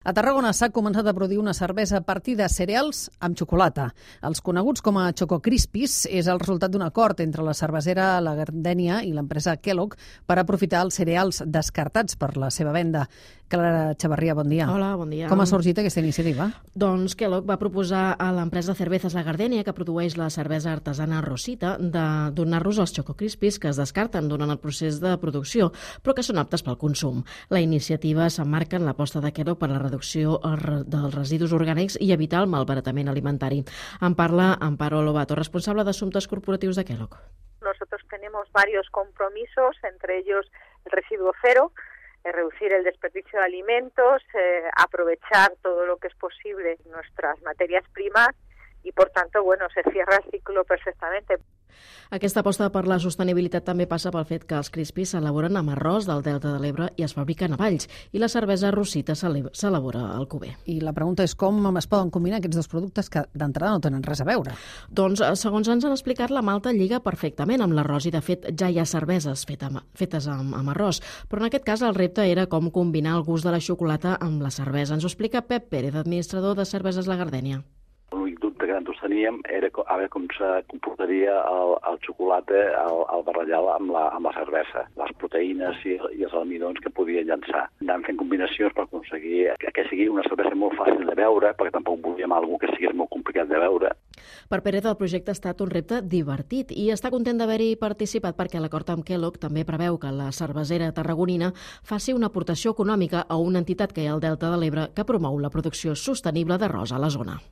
A Tarragona s'ha començat a produir una cervesa a partir de cereals amb xocolata. Els coneguts com a Choco Crispies és el resultat d'un acord entre la cervesera La Gardènia i l'empresa Kellogg per aprofitar els cereals descartats per la seva venda. Clara Chavarría, bon dia. Hola, bon dia. Com ha sorgit aquesta iniciativa? Doncs Kellogg va proposar a l'empresa Cervezas La Gardènia, que produeix la cervesa artesana Rosita, de donar-los els Choco Crispies que es descarten durant el procés de producció, però que són aptes pel consum. La iniciativa s'emmarca en l'aposta de Kellogg per la reducció dels residus orgànics i evitar el malbaratament alimentari. En parla Amparo Lobato, responsable d'Assumptes Corporatius de Kellogg. Nosotros tenemos varios compromisos, entre ellos el residuo cero, reducir el desperdicio de alimentos, aprovechar todo lo que es posible nuestras materias primas y, por tanto, se cierra el ciclo perfectamente. Aquesta aposta per la sostenibilitat també passa pel fet que els crispies s'elaboren amb arròs del Delta de l'Ebre i es fabriquen a Valls, i la cervesa Rosita s'elabora al Cuber. I la pregunta és com es poden combinar aquests dos productes que d'entrada no tenen res a veure. Doncs, segons ens han explicat, la malta lliga perfectament amb l'arròs i, de fet, ja hi ha cerveses fetes amb arròs. Però en aquest cas el repte era com combinar el gust de la xocolata amb la cervesa. Ens ho explica Pep Pérez, administrador de Cerveses La Gardènia. L'únic dubte que nosaltres teníem era a veure com se comportaria el xocolata al barrellar amb la cervesa, les proteïnes i els almidons que podia llançar. Anàvem fent combinacions per aconseguir que sigui una cervesa molt fàcil de beure, perquè tampoc volíem alguna que sigui molt complicat de beure. Per Pérez, el projecte ha estat un repte divertit i està content d'haver-hi participat perquè l'acord amb Kellogg també preveu que la cervesera tarragonina faci una aportació econòmica a una entitat que hi ha al Delta de l'Ebre que promou la producció sostenible d'arròs a la zona.